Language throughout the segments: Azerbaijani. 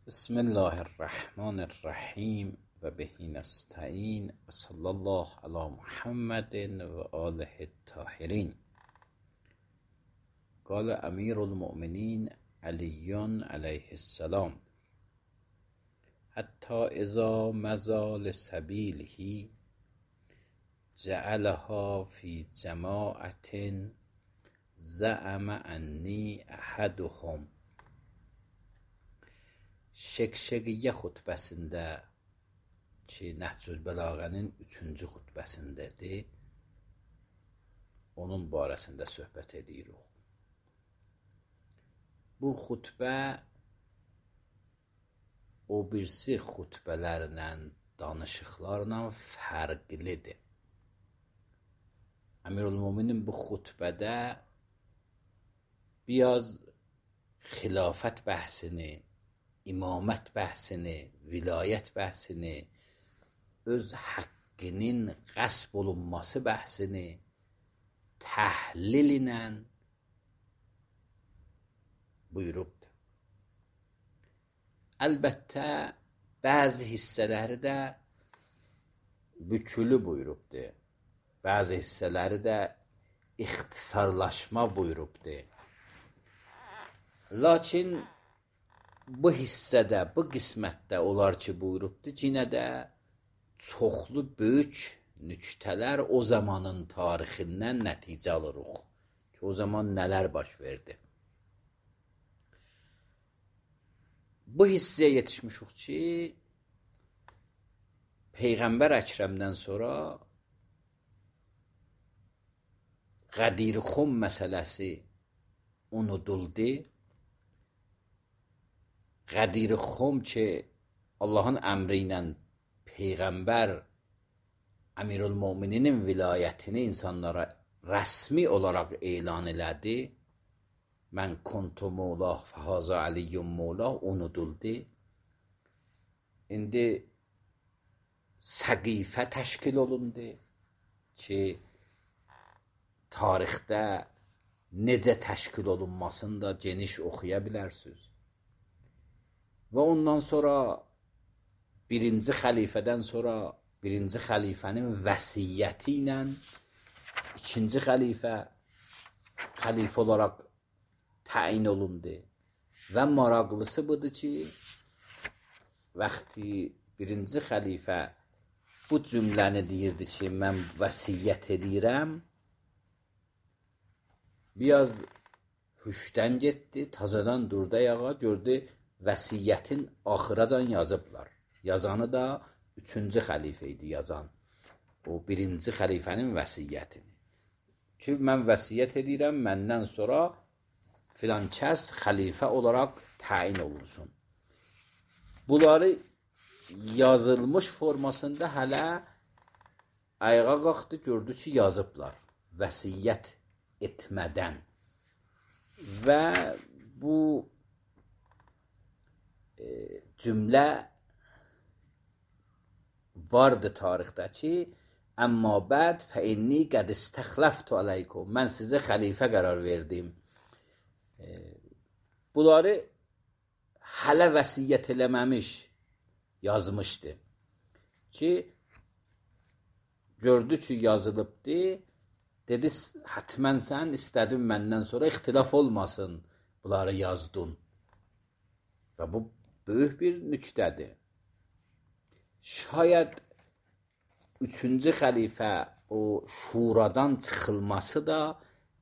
بسم الله الرحمن الرحیم و به نستعین و صلی الله علی محمد و آله الطاهرین. قال امیر المؤمنین علی علیه السلام: حتی اذا مضى لسبیله جعلها فی جماعة زعم انی احدهم. Şekşəqiyyə xutbəsində ki, Nəhcül Bəlağənin 3-cü xutbəsindədir, onun barəsində söhbət edirik. Bu xutbə o birisi xutbələrlə, danışıqlarla fərqlidir. Əmirülmüminin bu xutbədə biraz xilafət bəhsini, imamət bəhsini, vilayət bəhsini, öz haqqının qəsb olunması bəhsini təhlil ilə buyurubdur. Əlbəttə, bəzi hissələri də bükülü buyurubdur. Bəzi hissələri də ixtisarlaşma buyurubdur. Lakin bu hissədə, bu qismətdə olar ki, buyurubdur, yenə də çoxlu böyük nüktələr o zamanın tarixindən nəticə alırıq ki, o zaman nələr baş verdi. Bu hissəyə yetişmişik ki, Peyğəmbər Əkrəmdən sonra Qədir-Xum məsələsi unuduldu. Qədir-Xum ki, Allahın əmri ilə Peyğəmbər Əmirülmömininin vilayətini insanlara rəsmi olaraq elan elədi. Mən kuntu mövlah fəhazə əliyyum mövlah unuduldu. İndi səqifə təşkil olundu ki, tarixdə necə təşkil olunmasını da geniş oxuya bilərsiniz. Və ondan sonra birinci xəlifədən sonra birinci xəlifənin vəsiyyəti ilə ikinci xəlifə olaraq təyin olundu. Və maraqlısı budur ki, vaxtı birinci xəlifə bu cümləni deyirdi ki, mən vəsiyyət edirəm, biraz hüşdən getdi, tazadan durdu ayağa, gördü vəsiyyətin axıracan yazıblar. Yazanı da 3-cü xəlifə idi yazan. O birinci xəlifənin vəsiyyətini. Ki, mən vəsiyyət edirəm, məndən sonra filan kəs xəlifə olaraq təyin olunsun. Bunları yazılmış formasında hələ ayağa qalxdı, gördü ki, yazıblar. Vəsiyyət etmədən. Və bu cümlə vardı tarixdə ki, əmmə bəd fəinni qəd istəxləftu aleykum. Mən sizə xəlifə qərar verdim. Bunları hələ vəsiyyət eləməmiş yazmışdı. Ki, gördü ki, yazılıbdı. Dedi, hətmən sən istədin məndən sonra ixtilaf olmasın. Bunları yazdın. Və bu böyük bir nüktədir. Şayad 3-cü xəlifə o şuradan çıxılması da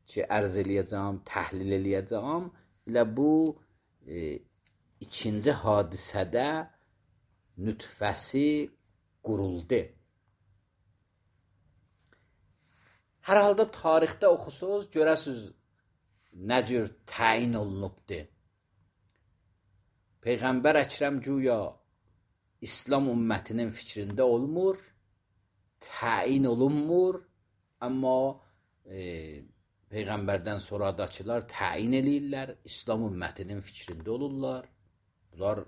ki, ərz eləyəcəm, təhlil eləyəcəm, elə bu ikinci hadisədə nütfəsi quruldu. Hər halda tarixdə oxusunuz, görəsiniz nə cür təyin olunubdur. Peyğəmbər Əkrəm güya İslam ümmətinin fikrində olmur, təyin olunmur, amma Peyğəmbərdən sonradakılar təyin eləyirlər, İslam ümmətinin fikrində olurlar. Bunlar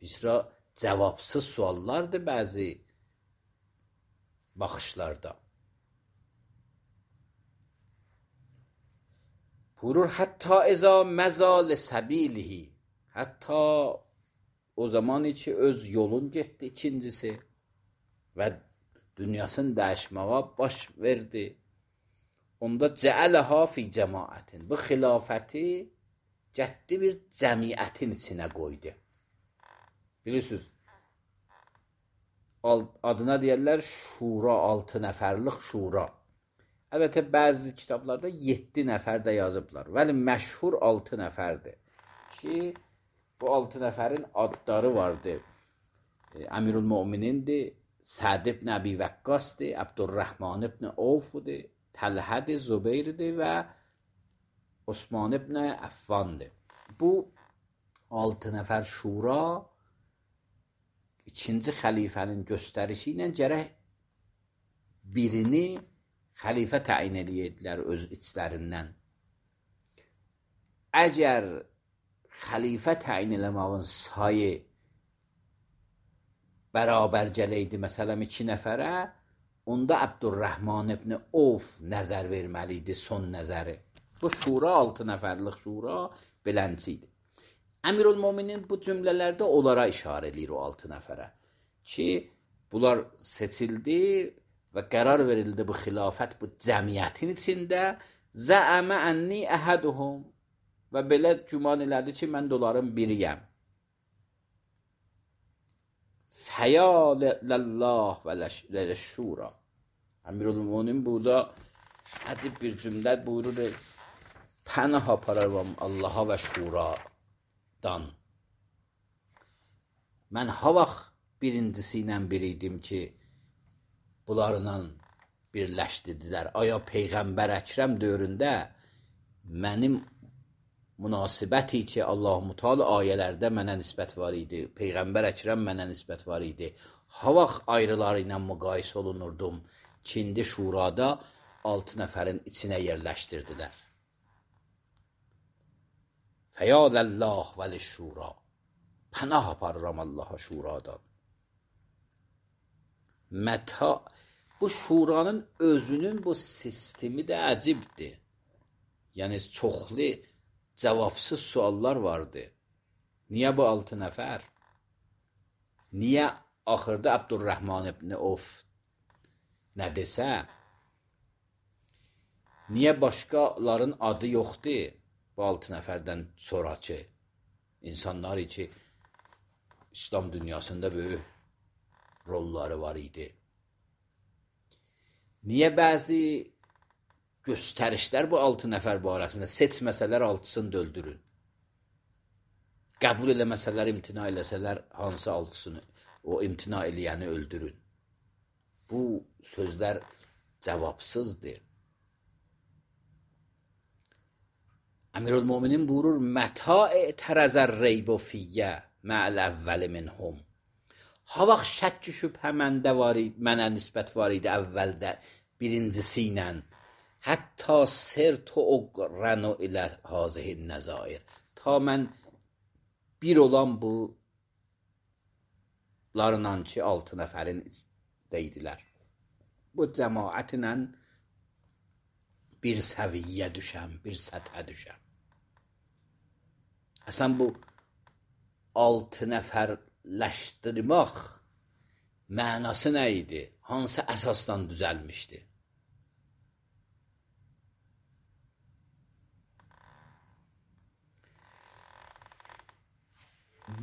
bizə cavabsız suallardır bəzi baxışlarda. Buyurur, hətta əzə məzal səbilihi, hətta o zaman ki öz yolun getdi ikincisi və dünyasını dəyişməyə baş verdi. Onda cəələha fi cəmaətin. Bu xilafəti getdi bir cəmiyyətin içinə qoydu. Bilirsiniz, adına deyərlər şura, 6 nəfərlik şura. Əlbəttə, bəzi kitablarda 7 nəfər də yazıblar. Vəli məşhur 6 nəfərdir. Ki, bu 6 nəfərin adları vardı. Əmirul Möminindir, Səd ibn Əbi Vəqqasdır, Abdurrahman ibn Avfdir, Təlhədir, Zübeyrdir və Osman ibn Əffandır. Bu 6 nəfər şura ikinci xəlifənin göstərişi ilə gərək birini xəlifə təyin edirdilər öz içlərindən. Əgər xəlifə təyin eləməyin sayı bərabər gələydi, məsələn 2 nəfərə, onda Abdurrahman ibn Avf nəzər verməli idi, son nəzəri. Bu şura 6 nəfərlik şura beləncə idi. Əmirul Möminin bu cümlələrdə onlara işarə edir o 6 nəfərə ki, bunlar seçildi və qərar verildi bu xilafət bu cəmiyyətin içində. Zəəmə ənni əhəduhum və belə güman elədi ki, mən də onların biriyəm. Fəyaləllah və ləşşura. Əmirul Möminin burada əcib bir cümlə buyurur, pənah apararam Allaha və şuradan. Mən ha vaxt birincisi ilə biriydim ki, bunlarla birləşdirdilər. Aya Peyğəmbər Əkrəm dövründə mənim münasibəti ki, Allah-u Teala ayələrdə mənə nisbət var idi. Peyğəmbər Əkrəm mənə nisbət var idi. Ha vaxt ayrıları ilə müqayisə olunurdum ki, indi şurada 6 nəfərin içinə yerləşdirdilər. Fəyaləllah və lişşura. Pənah aparıram Allaha şuradan. Bu şuranın özünün bu sistemi də əcibdir. Yəni, çoxlu cavabsız suallar vardı. Niyə bu 6 nəfər? Niyə axırda Abdurrahman ibn Avf nə desə? Niyə başqaların adı yoxdur bu 6 nəfərdən sonraki insanlar ki, İslam dünyasında böyük rolları var idi? Niyə bəzi göstərişlər bu 6 nəfər barəsində seçməsələr 6-sını da öldürün? Qəbul eləməsələr, imtina eləsələr hansı 6-sını, o imtina eləyəni öldürün? Bu sözlər cavabsızdır. Əmirul Möminin buyurur, mətə e'tərəzər reybu fiyyə mə'l əvvəli minhum. Ha vaxt şəkk şübhə mənə nisbət var idi əvvəldə birincisi ilə. Hətta sirtu uqranu ilə hazihin nəzair. Ta mən bir olan bunlarla ki, 6 nəfərin deydilər. Bu cəmaətlə bir səviyyə düşəm, bir səthə düşəm. Əsən bu 6 nəfərləşdirmək mənası nə idi? Hansı əsasdan düzəlmişdi?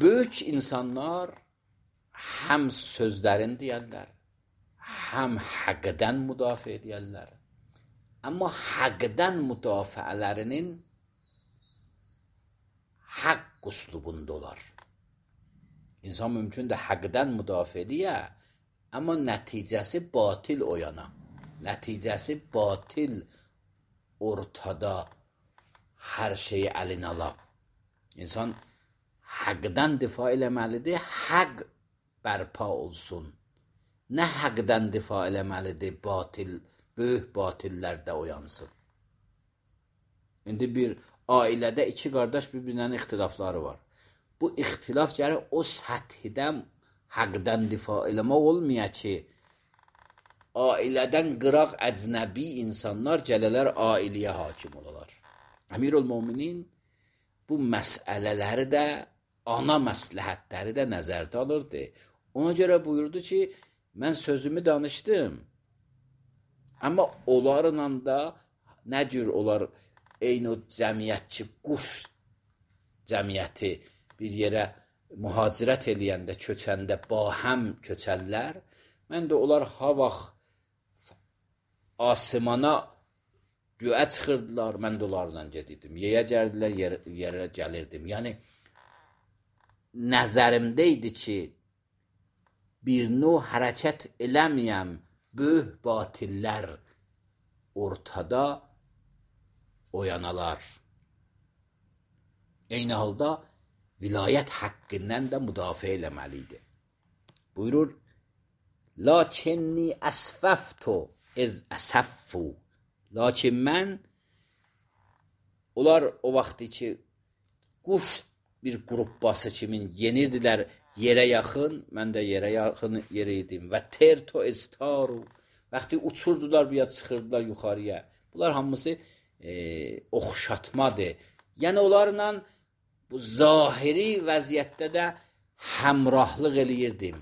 Böyük insanlar həm sözlərini deyərlər, həm həqdən müdafiə edərlər. Amma həqdən müdafiələrinin haqq üslubunda olar. İnsan mümkündür həqdən müdafiə ediyə, amma nəticəsi batil oyana. Nəticəsi batil ortada hər şeyi əlinə ala. İnsan həqdən difa eləməlidir, həq bərpa olsun. Nə həqdən difa eləməlidir, böyük batillərdə oyansın. İndi bir ailədə 2 qardaş bir-birinin ixtilafları var. Bu ixtilaf gəlir o səthidən həqdən difa eləmək olmaya ki, ailədən qıraq əcnəbi insanlar gələlər ailəyə hakim olalar. Əmirul Möminin bu məsələləri də ana məsləhətləri də nəzərdə alırdı. Ona görə buyurdu ki, mən sözümü danışdım. Amma onlarla da nə cür onlar eyni o cəmiyyətçi quş cəmiyyəti bir yerə mühacirət eləyəndə, köçəndə bahəm köçərlər. Mən də onlar ha vaxt asimana göyə çıxırdılar, mən də onlarla gedirdim. Yeyə gəldilər, yerə gəlirdim. Yəni nəzərimdə idi ki, bir növ hərəkət eləməyəm, böyük batillər ortada oyanalar. Eyni halda vilayət haqqından da müdafiə eləməliydi. Buyurur, lakinni əsfəftu iz əsəffu. Lakin mən, onlar o vaxtı ki, quş bir qruppası kimin yenirdilər yerə yaxın, mən də yerə yaxın yerə idim. Və terto istaru, vaxtı uçurdular, bir çıxırdılar yuxarıya. Bunlar hamısı oxşatmadır. Yəni onlarla bu zahiri vəziyyətdə də həmrahlıq eləyirdim.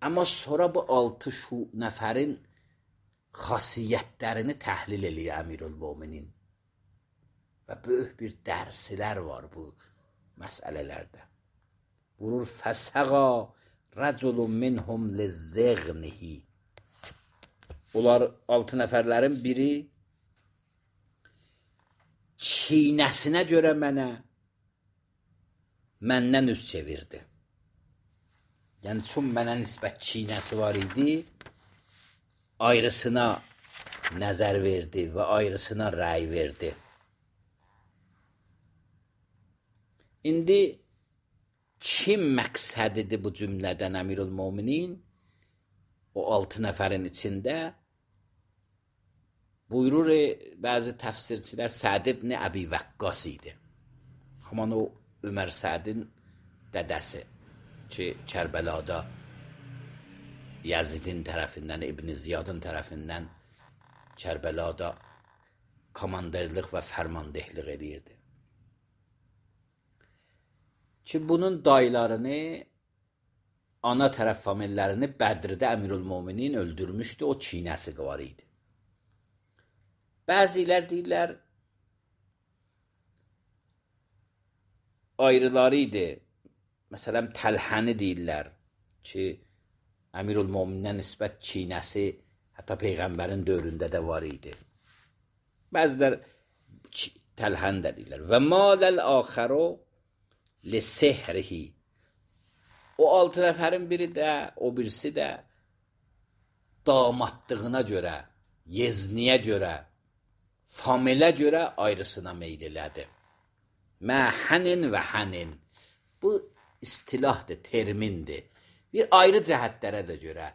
Amma sonra bu 6 nəfərin xasiyyətlərini təhlil eləyir Əmirülmöminin. Və böyük bir dərslər var bu məsələlərdə. Buyurur, fəsəqa rəculun minhum lizzəğnihi. Onlar 6 nəfərlərin biri çiynəsinə görə məndən üz çevirdi. Yəni, çün mənə nisbət çiynəsi var idi, ayrısına nəzər verdi və ayrısına rəy verdi. İndi kim məqsədidir bu cümlədən Əmirülmöminin? O 6 nəfərin içində buyurur, bəzi təfsirçilər Səd ibn Əbi Vəqqas idi. Haman o Ömər Sədin dədəsi ki, Kərbəlada Yazidin tərəfindən, İbn Ziyadın tərəfindən Kərbəlada komanderlik və fərmandehlik edirdi. Ki, bunun dayılarını, ana tərəf famillərini Bədirdə Əmirülmöminin öldürmüşdü, o çiynəsi var idi. Bəzilər deyirlər, ayrıları idi. Məsələn, Təlhəni deyirlər ki, Əmirülmömindən nisbət çiynəsi hətta Peyğəmbərin dövründə də var idi. Bəzilər Təlhəni də deyirlər. Və maləl axəro lisehrihi. O 6 nəfərin biri də, o birisi də damadlığına görə, yezniyə görə, familə görə ayrısına meyl elədi. Məhənin və hənin. Bu istilahdır, termindir. Bir ayrı cəhətlərə də görə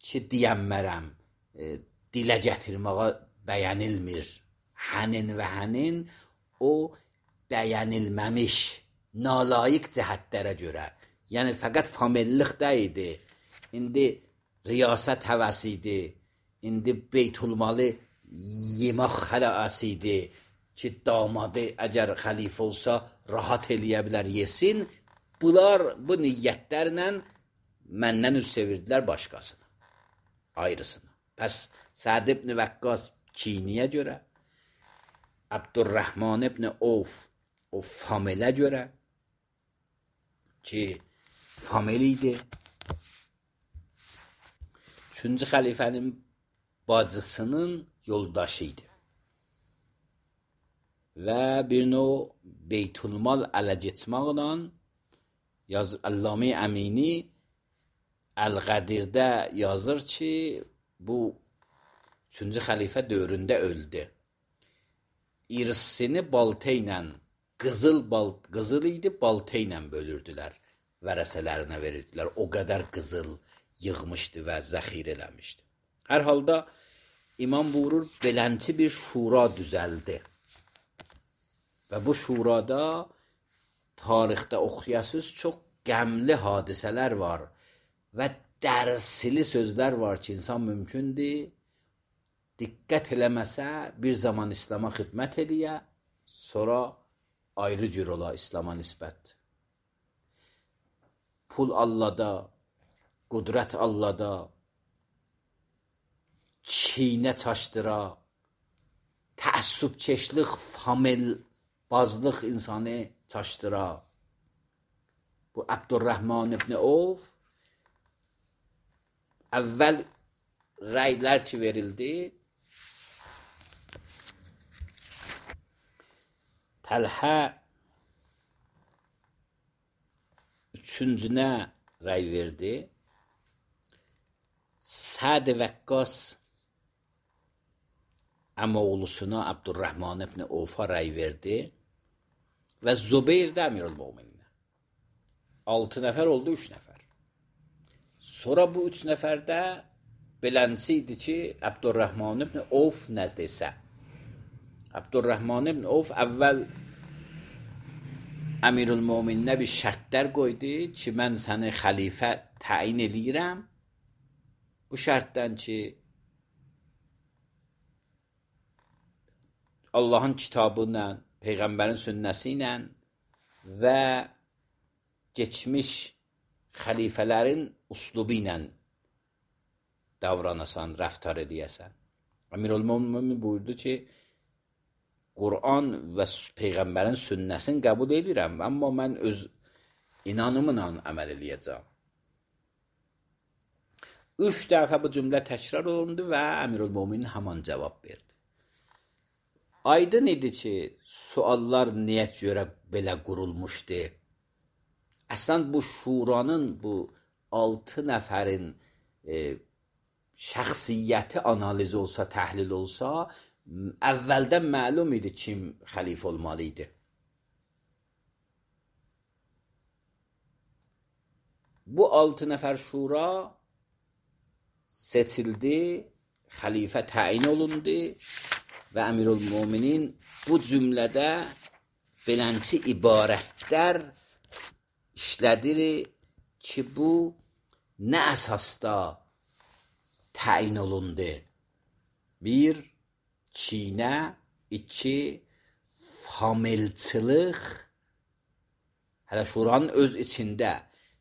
ki, deyənmərəm, dilə gətirməyə bəyənilmir. Hənin və hənin o bəyənilməmiş, nalayiq cəhətlərə görə. Yəni, fəqət famillik deyildi. İndi riyasət həvəsi idi. İndi beytulmalı yemək xələəsi idi ki, damadı əgər xəlifə olsa rahat eləyə bilər, yesin. Bunlar bu niyyətlərlə məndən üz çevirdilər başqasına, ayrısına. Pəs Səd ibn Vəqqas kiniyə görə, Abdurrahman ibn Avf o familə görə ki, famili idi. 3-cü xəlifənin bacısının yoldaşı idi. Və bir növ beytulmal ələ getməklə Allame Əmini Əl-Qədirdə yazır ki, bu 3-cü xəlifə dövründə öldü. İrsini balta ilə, qızıl idi, balta ilə bölürdülər, vərəsələrinə verirdilər. O qədər qızıl yığmışdı və zəxir eləmişdi. Hər halda İmam buyurur, belənçi bir şura düzəldi. Və bu şurada tarixdə oxuyasız çox qəmli hadisələr var və dərsli sözlər var ki, insan mümkündür, diqqət eləməsə bir zaman İslam'a xidmət eləyə, sonra ayrı cür ola İslama nisbət. Pul Allahda, qudrət Allahda, çiynə çaşdıra, təəssübkeşlik, familbazlıq insanı çaşdıra. Bu Abdurrahman ibn Avf əvvəl rəylər ki verildi, Təlhə üçüncünə rəy verdi. Səd Vəqqas əmoğlusuna Abdurrahman ibn Avfa rəy verdi və Zübeyir də Əmirül-Möminin. 6 nəfər oldu, 3 nəfər. Sonra bu 3 nəfərdə beləncə idi ki, Abdurrahman ibn Avf nəzdə isə. Abdurrahman ibn Avf əvvəl Əmirül-Mömininə bir şərtlər qoydu ki, mən səni xəlifə təyin eləyirəm. Bu şərtdən ki, Allahın kitabı ilə, Peyğəmbərin sünnəsi ilə və geçmiş xəlifələrin uslubu ilə davranasan, rəftar edəyəsən. Əmirül-Mömin buyurdu ki, Qur'an və Peyğəmbərin sünnəsini qəbul edirəm, amma mən öz inanımla əməl eləyəcəm. 3 dəfə bu cümlə təkrar olundu və Əmirül-Mömin haman cavab verdi. Aydın idi ki, suallar niyə görə belə qurulmuşdu? Əslən bu şuranın, bu 6 nəfərin şəxsiyyəti analiz olsa, təhlil olsa, əvvəldən məlum idi kim xəlifə olmalı idi. Bu 6 nəfər şura seçildi, xəlifə təyin olundu və Əmirül-Möminin bu cümlədə beləncə ibarətlər işlədir ki, bu nə əsasda təyin olundu? 1. Çiynə, 2. Familçılıq. Hələ şuranın öz içində,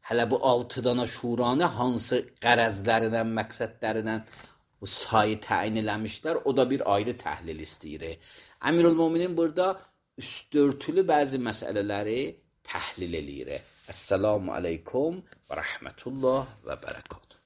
hələ bu 6 dana şuranı hansı qərəzlərindən, məqsədlərindən bu sayı təyin eləmişlər, o da bir ayrı təhlil istəyir. Əmirül-Möminin burada üstörtülü bəzi məsələləri təhlil eləyir. Əssəlamu aleykum və rəhmətullah və bərəkatuhu.